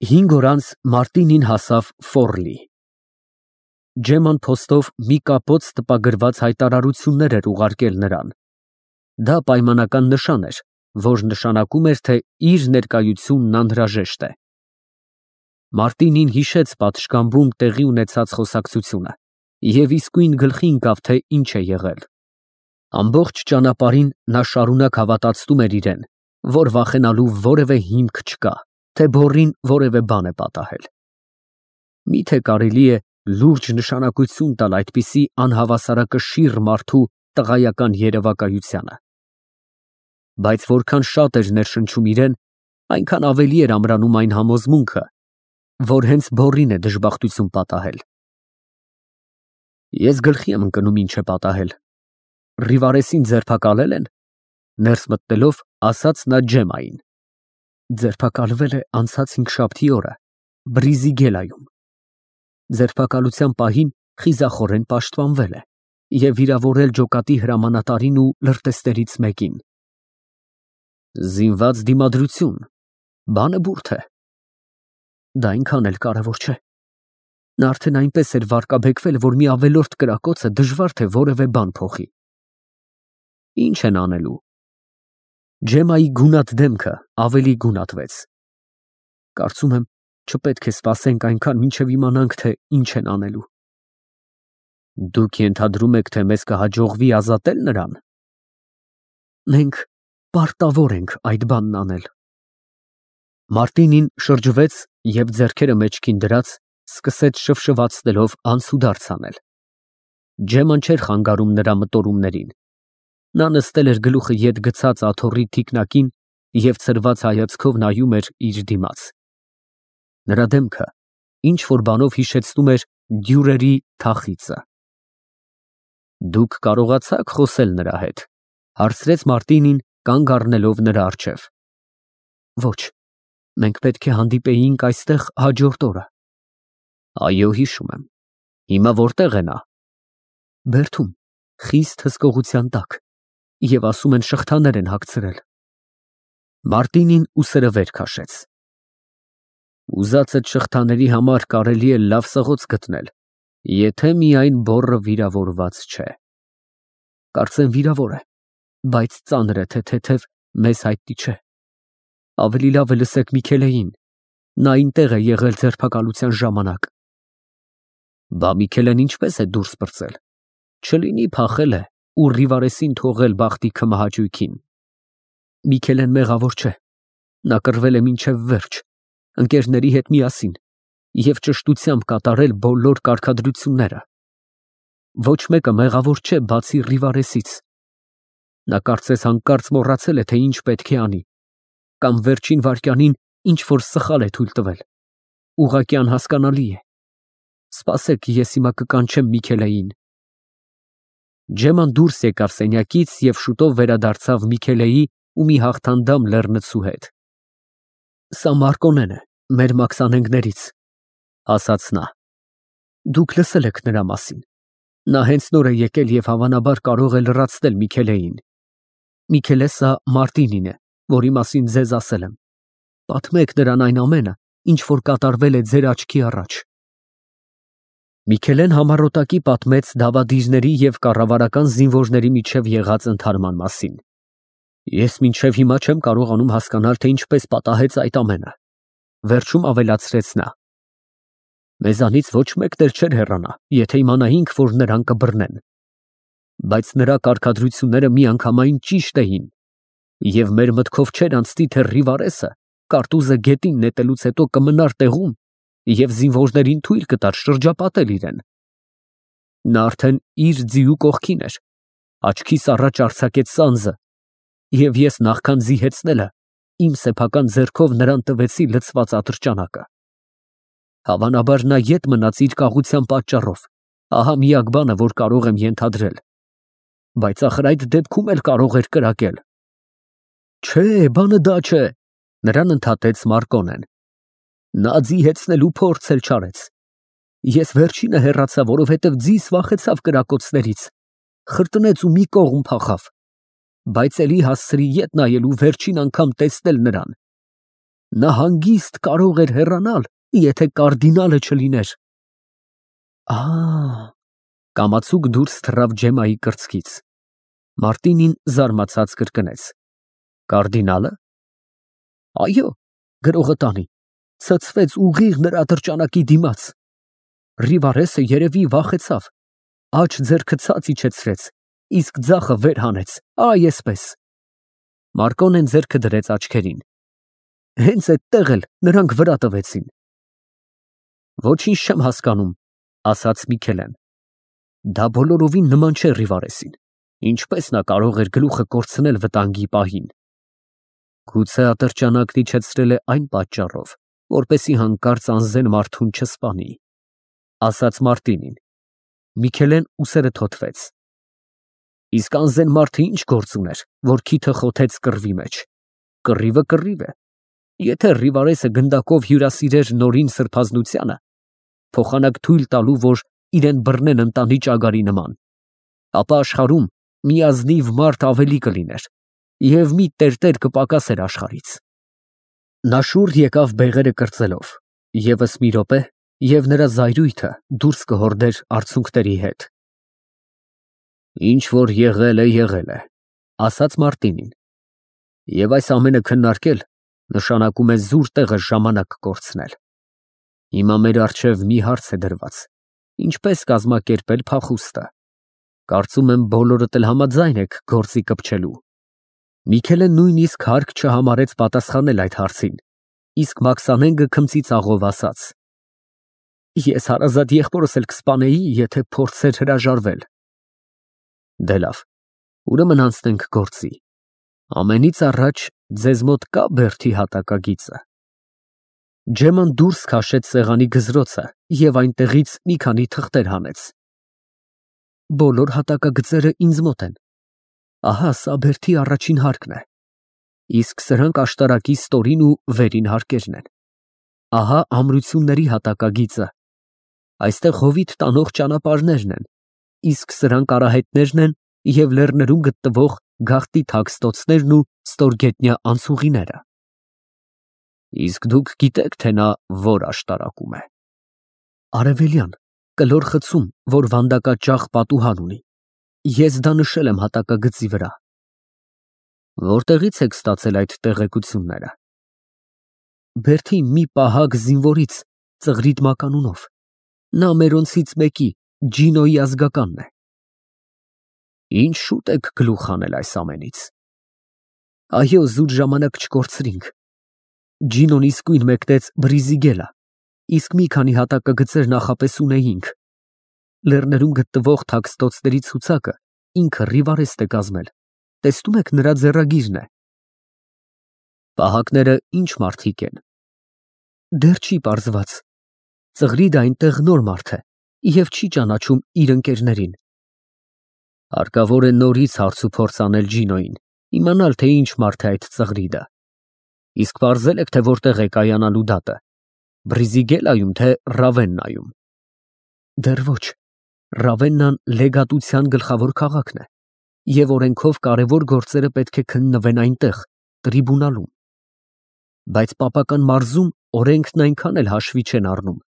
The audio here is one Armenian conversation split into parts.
5 օր անց Մարտինին հասավ Ֆորլի։ Ջեման փոստով մի կապոց տպագրված հայտարարություններ էր ուղարկել նրան։ Դա պայմանական նշան էր, որ նշանակում էր, թե իր ներկայությունն անհրաժեշտ է։ Մարտինին հիշեց պատշգամբում տեղի ունեցած խոսակցությունը և իսկույն գլխի ընկավ, թե ինչ է եղել։ Ամբողջ ճանապարհին նա շարունակ հավատացնում էր իրեն, որ վախենալու որևէ հիմք չկա, թե Բոռին որևէ բան է պատահել։ Միթե կարելի է լուրջ նշանակություն տալ այդպիսի անհավասարակշիռ մարդու տղայական երևակայությանը։ Բայց որքան շատ էր ներշնչում իրեն, այնքան ավելի էր ամրանում այն համոզմունքը, որ հենց Բոռին է դժբախտություն պատահել։ Ես գլխի եմ ընկնում ինչ է պատահել։ Ռիվարեսին ձերբակալել են, ներս մտնելով ասաց նա Ջեմային։ Ձերբակալվել է անցած հինգշաբթի օրը Բրիզիգելայում։ Ձերբակալության պահին խիզախորեն պաշտպանվել է և վիրավորել ջոկատի հրամանատարին ու լրտեսներից մեկին։ Զինված դիմադրություն, բանը բուրդ է։ Դա այնքան էլ կարևոր չէ։ Նա արդեն այնպես էր վարկաբեկվել, որ մի ավելորդ կրակոցը դժվար թե որևէ բան փոխի։ Ինչ են անելու։ Ջեմայի գունատ դեմքը ավելի գունատվեց։ Կարծում եմ, չպետք է սպասենք այնքան, մինչև իմանանք, թե ինչ են անելու։ Դուք ենթադրում եք, թե մեզ կհաջողվի ազատել նրան։ Մենք պարտավոր ենք այդ բանն անել։ Մարտինին շրջվեց և ձեռքերը մեջքին դրած սկսեց շվշվացնելով անցուդարձ անել։ Ջեման չէր խանգարում նրա մտորումներին։ Նա նստել էր գլուխը ետ գցած աթոռի թիկնակին և ցրված հայացքով նայում էր իր դիմաց։ Նրա դեմքը ինչ-որ բանով հիշեցնում էր դյուրերի թախիծը։ Դուք կարողացա՞ք խոսել նրա հետ, հարցրեց Մարտինին, կանգ առնելով նրա առջև։ Ոչ, մենք պետք է հանդիպեինք այստեղ հաջորդ օրը։ Այո, հիշում եմ։ Հիմա որտեղ է նա։ Բերդում, խիստ հսկողության տակ, և ասում են շղթաներ են հագցրել։ Մարտինին ուսերը վեր քաշեց։ Ուզածդ շղթաների համար կարելի է լավ սղոց գտնել, եթե միայն բոռը վիրավորված չէ։ Կարծեմ վիրավոր է, բայց ծանր է, թե թեթև մեզ հայտնի չէ։ Ավելի լավ է լսեք Միքելեին, նա այնտեղ է եղել ձերբակալության ժամանակ։ Բա Միքելեն ինչպես է դուրս պրծել։ Չլինի փախել է ու Ռիվարեսին թողել բախտի քմահաճույքին։ Միքելեն մեղավոր չէ։ Նա կռվել է մինչև վերջ, ընկերների հետ միասին և ճշտությամբ կատարել բոլոր կարգադրությունները։ Ոչ մեկը մեղավոր չէ, բացի Ռիվարեսից։ Նա կարծես հանկարծ մոռացել է, թե ինչ պետք է անի, կամ վերջին վայրկյանին ինչ-որ սխալ է թույլ տվել։ Ուղղակի անհասկանալի է։ Սպասեք, ես հիմա կկանչեմ Միքելեին։ Ջեման դուրս եկավ սենյակից և շուտով վերադարձավ Միքելեի ու մի հաղթանդամ լեռնցու հետ։ Սա Մարկոնեն է, մեր մաքսանենգներից, ասաց նա։ Դուք լսել եք նրա մասին։ Նա հենց նոր է եկել և հավանաբար կարող է լրացնել Միքելեին։ Միքելե սա Մարտինին է, որի մասին ձեզ ասել եմ։ Պատմեք նրան այն ամենը, ինչ որ կատարվել է ձեր աչքի առաջ։ Միքելեն համառոտակի պատմեց դավադիրների և կառավարական զինվորների միջև եղած ընդհարման մասին։ Ես մինչև հիմա չեմ կարողանում հասկանալ, թե ինչպես պատահեց այդ ամենը, վերջում ավելացրեց նա։ Մեզանից ոչ մեկն էլ չէր հեռանա, եթե իմանայինք, որ նրան կբռնեն։ Բայց նրա կարգադրությունները միանգամայն ճիշտ էին, և մեր մտքով չէր անցնի, թե Ռիվարեսը կարտուզը գետին նետելուց հետո կմնար տեղում և զինվորներին թույլ կտար շրջապատել իրեն։ Նա արդեն իր ձիու կողքին էր, աչքիս առաջ արձակեց սանձը, և ես նախքան զիհեցնելը իմ սեփական ձեռքով նրան տվեցի լցված ատրճանակը։ Հավանաբար նա ետ մնաց իր կաղության պատճառով, ահա միակ բանը, որ կարող եմ ենթադրել։ Բայց ախր այդ դեպքում էլ կարող էր կրակել։ Չէ, բանը դա չէ, նրան ընդհատեց Մարկոնեն։ Նա ձիհեցնելու փորձ էլ չարեց։ Ես վերջինը հեռացա, որովհետև ձիս վախեցավ կրակոցներից, խրտնեց ու մի կողմ փախավ, բայց էլի հասցրի ետ նայել ու վերջին անգամ տեսնել նրան։ Նա հանգիստ կարող էր հեռանալ, եթե կարդինալը չլիներ։ Կամացուկ դուրս թռավ Ջեմայի կրծքից։ Մարտինին զարմացած կրկնեց. Կարդինալը։ Այո, գրողը տանի, ցցվեց ուղիղ նրա դրճանակի դիմաց։ Ռիվարեսը երևի վախեցավ, աջ ձեռքը ցած իջեցրեց, իսկ ձախը վեր հանեց, այսպես։ Մարկոնեն ձեռքը դրեց աչքերին։ Հենց այդտեղ էլ նրանք վրա տվեցին։ Ոչինչ չեմ հասկանում, ասաց Միքելեն։ Դա բոլորովին նման չէ Ռիվարեսին։ Ինչպես նա կարող էր գլուխը կորցնել վտանգի պահին։ Գուցե ատրճանակն իջեցրել է այն պատճառով, որպեսզի հանկարծ անզեն մարդուն չսպանի, ասաց Մարտինին։ Միքելեն ուսերը թոթվեց։ Իսկ անզեն մարդը ինչ գործ ուներ, որ քիթը խոթեց կռվի մեջ։ Կռիվը կռիվ է։ Եթե Ռիվարեսը գնդակով հյուրասիրեր նորին սրբազնությանը, փոխանակ թույլ տալու, որ իրեն բռնեն ընտանի ճագարի նման, ապա աշխարհում մի ազնիվ մարդ ավելի կլիներ, և մի տերտեր կպակասեր աշխարհից։ Նա շուռ եկավ բեղերը կրծելով, ևս մի րոպե, և նրա զայրույթը դուրս կհորդեր արցունքների հետ։ Ինչ որ եղել է, ասաց Մարտինին, և այս ամենը քննարկել նշանակում է զուր տեղը ժամանակ կորցնել։ Հիմա մեր առջև մի հարց է դրված. ինչպես կազմակերպել փախուստը։ Կարծում եմ բոլորդ էլ համաձայն եք գործի կպչելու։ Միքելեն նույնիսկ հարկ չհամարեց պատասխանել այդ հարցին, իսկ Մաքսանենգը քմծի ծաղով ասաց. Ես հարազատ եղբորս էլ կսպանեի, եթե փորձեր հրաժարվել։ Դե լավ, ուրեմն անցնենք գործի։ Ամենից առաջ ձեզ մոտ կա բերդի հատակագիծը։ Ջեման դուրս քաշեց սեղանի գզրոցը և այնտեղից մի քանի թղթեր հանեց։ Բոլոր հատակագծերը ինձ մոտ են։ Ահա սա բերդի առաջին հարկն է, իսկ սրանք աշտարակի ստորին ու վերին հարկերն են։ Ահա ամրությունների հատակագիծը, այստեղ հովիտ տանող ճանապարհներն են, իսկ սրանք արահետներն են և լեռներում գտնվող գաղտնի թաքստոցներն ու ստորգետնյա անցուղիները։ Իսկ դուք գիտեք, թե նա որ աշտարակում է։ Արևելյան, կլոր խցում, որ վանդակաճախ պատուհան ունի։ Ես դա նշել եմ հատակագծի վրա։ Որտեղից եք ստացել այդ տեղեկությունները։ Բերդի մի պահակ զինվորից Ծղրիդ մականունով։ Նա մերոնցից մեկի, Ջինոյի ազգականն է։ Ինչ շուտ եք գլուխ հանել այս ամենից։ Այո, զուտ ժամանակ չկորցրինք։ Ջինոն իսկույն մեկնեց Բրիզիգելա, իսկ մի քանի հատակագծեր նախապես ունեինք։ Լեռներում գտնվող թաքստոցների ցուցակը ինքը Ռիվարեստ է կազմել։ Տեսնում եք, նրա ձեռագիրն է։ Պահակները ինչ մարդիկ են։ Դեռ չի պարզված։ Ծղրիդը այնտեղ նոր մարդ է և չի ճանաչում իր ընկերներին։ Հարկավոր է նորից հարց ու փորձ անել Ջինոյին, իմանալ, թե ինչ մարդ է այդ Ծղրիդը։ Իսկ պարզել եք, թե որտեղ է կայանալու դատը։ Բրիզիգելայում, թե Ռավեննայում։ Դեռ ոչ։ Ռավեննան լեգատության գլխավոր քաղաքն է, և օրենքով կարևոր գործերը պետք է քննվեն այնտեղ, տրիբունալում։ Բայց պապական մարզում օրենքն այնքան էլ հաշվի չեն առնում։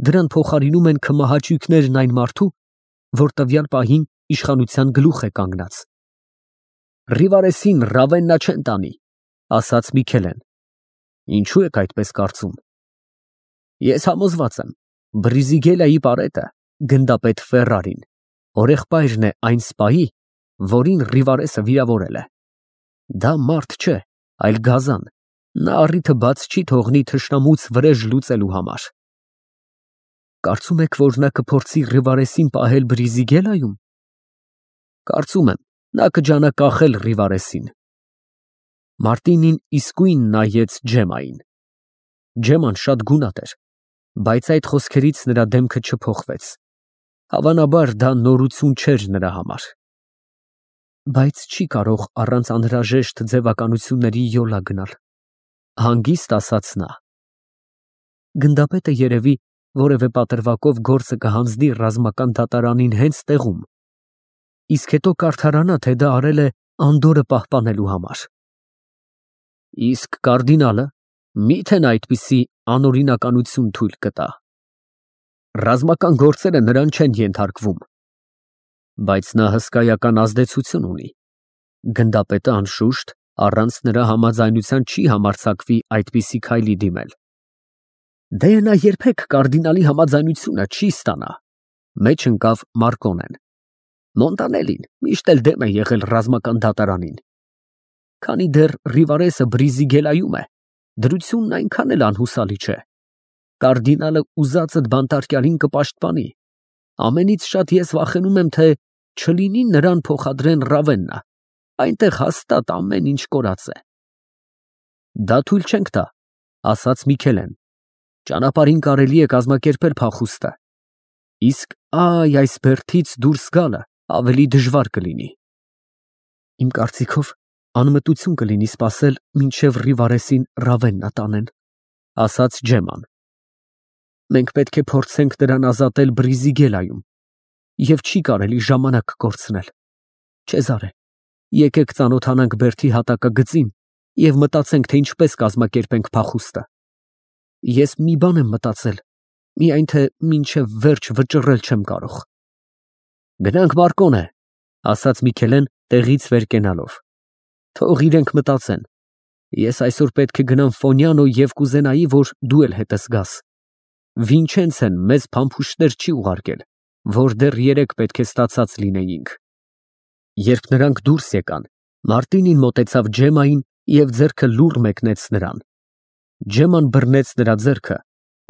Դրան փոխարինում են քմահաճույքներն այն մարդու, որ տվյալ պահին իշխանության գլուխ է կանգնած։ Ռիվարեսին Ռավեննա չեն տանի, ասաց Միքելեն։ Ինչու եք այդպես կարծում։ Ես համոզված եմ, Բրիզիգելայի պարետը, գնդապետ Ֆերրարին, օրեղբայրն է այն սպայի, որին Ռիվարեսը վիրավորել է։ Դա մարդ չէ, այլ գազան։ Նա առիթը բաց չի թողնի թշնամուց վրեժ լուծելու համար։ Կարծում եք, որ նա կփորձի Ռիվարեսին պահել Բրիզիգելայում։ Կարծում եմ, նա կջանակախել Ռիվարեսին։ Մարտինին իսկույն նայեց Ջեմային։ Ջեման շատ գունատ էր, բայց այդ խոսքերից նրա դեմքը չփոխվեց։ Հավանաբար դա նորություն չէր նրա համար։ Բայց չի կարող առանց անհրաժեշտ ձևականությունների յոլա գնալ, հանգիստ ասաց նա։ Գնդապետը երևի որևէ պատրվակով գործը կհանձնի ռազմական դատարանին հենց տեղում, իսկ հետո կարդարանա, թե դա արել է Անդորը պահպանելու համար։ Իսկ կարդինալը, Միթե նա այդպիսի անօրինականություն թույլ կտա։ Ռազմական գործերը նրան չեն ենթարկվում, բայց նա հսկայական ազդեցություն ունի։ Գնդապետը անշուշտ առանց նրա համաձայնության չի համարձակվի այդպիսի քայլի դիմել։ Դե նա երբեք կարդինալի համաձայնությունը չի ստանա, մեջ ընկավ Մարկոնեն։ Մոնտանելին միշտ էլ դեմ է եղել ռազմական դատարանին։ Քանի դեռ Ռիվարեսը Բրիզիգելայում է, դրությունն այնքան էլ անհուսալի չէ։ Կարդինալը ուզածդ բանտարկյալին կպաշտպանի։ Ամենից շատ ես վախենում եմ, թե չլինի նրան փոխադրեն Ռավեննա, այնտեղ հաստատ ամեն ինչ կորած է։ Դա թույլ չենք տա, ասաց Միքելեն։ Ճանապարհին կարելի է կազմակերպել փախուստը։ Իսկ այս բերդից դուրս գալը ավելի դժվար կլինի։ Իմ կարծիքով անմտություն կլինի սպասել, մինչև Ռիվարեսին Ռավեննա տանեն, ասաց Ջեման։ Մենք պետք է փորձենք նրան ազատել Բրիզիգելայում, և չի կարելի ժամանակ կորցնել։ Չեզարե, եկեք ծանոթանանք բերդի հատակագծին և մտածենք, թե ինչպես կազմակերպենք փախուստը։ Ես մի բան եմ մտածել, միայն թե մինչև վերջ վճռել չեմ կարող։ Գնանք Մարկոնե, ասաց Միքելեն տեղից վեր կենալով։ Թող իրենք մտածեն։ Ես այսօր պետք է գնամ Ֆոնյանո և կուզենայի, որ դու էլ հետս գաս։ Վինչենցեն մեզ փամփուշտներ չի ուղարկել, որ դեռ երեկ պետք է ստացած լինեինք։ Երբ նրանք դուրս եկան, Մարտինին մոտեցավ Ջեմային և ձեռքը լուռ մեկնեց նրան։ Ջեման բռնեց նրա ձեռքը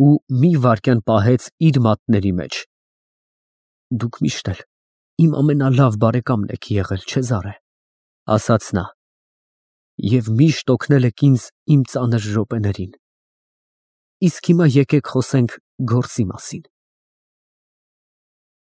ու մի վայրկյան պահեց իր մատների մեջ։ Դուք միշտ էլ իմ ամենալավ բարեկամն եք եղել, Չեզարե, ասաց նա, և միշտ օգնել եք ինձ իմ ծանր րոպեներին։ Իսկ հիմա եկեք խոսենք գործի մասին։